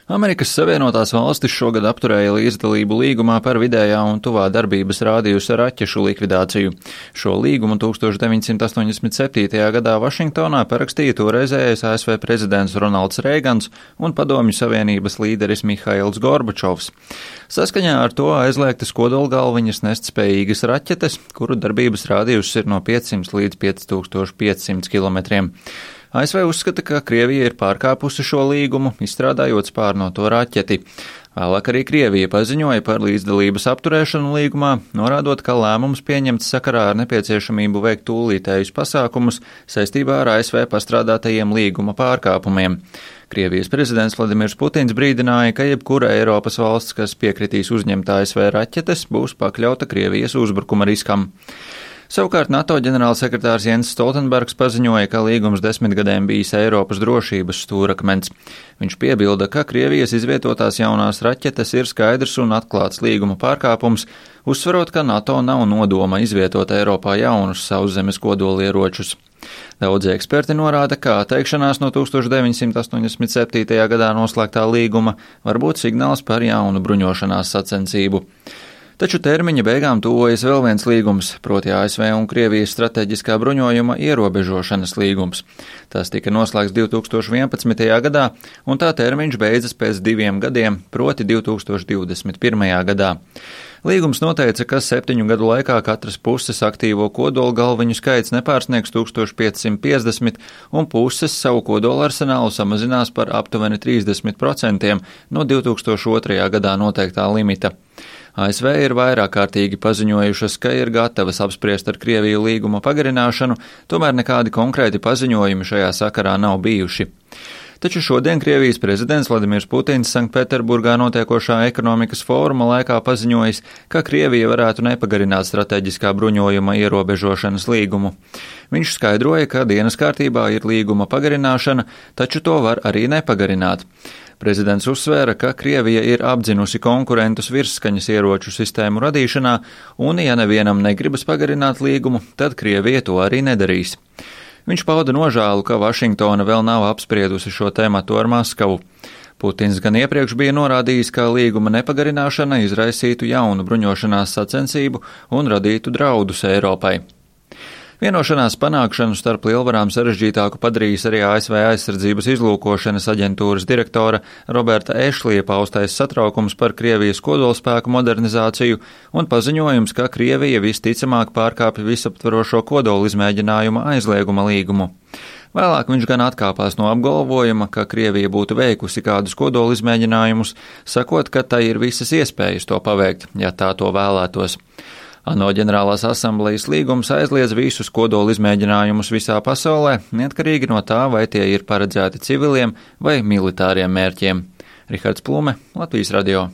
Amerikas Savienotās Valstis šogad apturēja līdzdalību līgumā par vidējā un tuvā darbības rādījusa raķešu likvidāciju. Šo līgumu 1987. gadā Vašingtonā parakstīja toreizējais ASV prezidents Ronalds Reigans un Padomju Savienības līderis Mihails Gorbačovs. Saskaņā ar to aizliegtas kodolgalviņas nest spējīgas raķetes, kuru darbības rādījus ir no 500 līdz 5500 kilometriem. ASV uzskata, ka Krievija ir pārkāpusi šo līgumu, izstrādājot spārnoto raķeti. Vēlāk arī Krievija paziņoja par līdzdalības apturēšanu līgumā, norādot, ka lēmums pieņemts sakarā ar nepieciešamību veikt tūlītējus pasākumus saistībā ar ASV pastrādātajiem līguma pārkāpumiem. Krievijas prezidents Vladimirs Putins brīdināja, ka jebkura Eiropas valsts, kas piekritīs uzņemt ASV raķetes, būs pakļauta Krievijas uzbrukuma riskam. Savukārt NATO ģenerālsekretārs Jens Stoltenbergs paziņoja, ka līgums 10 gadiem bijis Eiropas drošības stūrakmens. Viņš piebilda, ka Krievijas izvietotās jaunās raķetes ir skaidrs un atklāts līguma pārkāpums, uzsverot, ka NATO nav nodoma izvietot Eiropā jaunus sauszemes kodolieročus. Daudzi eksperti norāda, ka atteikšanās no 1987. gadā noslēgtā līguma var būt signāls par jaunu bruņošanās sacensību. Taču termiņa beigām tuvojas vēl viens līgums, proti ASV un Krievijas strateģiskā bruņojuma ierobežošanas līgums. Tas tika noslēgts 2011. gadā, un tā termiņš beidzas pēc 2 gadiem, proti 2021. gadā. Līgums noteica, ka 7 gadu laikā katras puses aktīvo kodola galviņu skaits nepārsniegs 1550, un puses savu kodola arsenālu samazinās par aptuveni 30% no 2002. gadā noteiktā limita. ASV ir vairāk kārtīgi paziņojušas, ka ir gatavas apspriest ar Krieviju līguma pagarināšanu, tomēr nekādi konkrēti paziņojumi šajā sakarā nav bijuši. Taču šodien Krievijas prezidents Vladimirs Putins Sanktpēterburgā notiekošā ekonomikas fóruma laikā paziņojis, ka Krievija varētu nepagarināt strateģiskā bruņojuma ierobežošanas līgumu. Viņš skaidroja, ka dienas kārtībā ir līguma pagarināšana, taču to var arī nepagarināt. Prezidents uzsvēra, ka Krievija ir apdzinusi konkurentus virsskaņas ieroču sistēmu radīšanā, un ja nevienam negribas pagarināt līgumu, tad Krievija to arī nedarīs. Viņš pauda nožēlu, ka Vašingtona vēl nav apspriedusi šo tēmatu ar Maskavu. Putins gan iepriekš bija norādījis, ka līguma nepagarināšana izraisītu jaunu bruņošanās sacensību un radītu draudus Eiropai. Vienošanās panākšanu starp lielvarām sarežģītāku padarījis arī ASV aizsardzības izlūkošanas aģentūras direktora Roberta Ešlija paustais satraukums par Krievijas kodolspēku modernizāciju un paziņojums, ka Krievija visticamāk pārkāpja visaptverošo kodola izmēģinājuma aizlieguma līgumu. Vēlāk viņš gan atkāpās no apgalvojuma, ka Krievija būtu veikusi kādus kodola izmēģinājumus, sakot, ka tai ir visas iespējas to paveikt, ja tā to vēlētos. ANO ģenerālās asamblejas līgums aizliedz visus kodola izmēģinājumus visā pasaulē, neatkarīgi no tā, vai tie ir paredzēti civiliem vai militāriem mērķiem. Rihards Plume, Latvijas radio.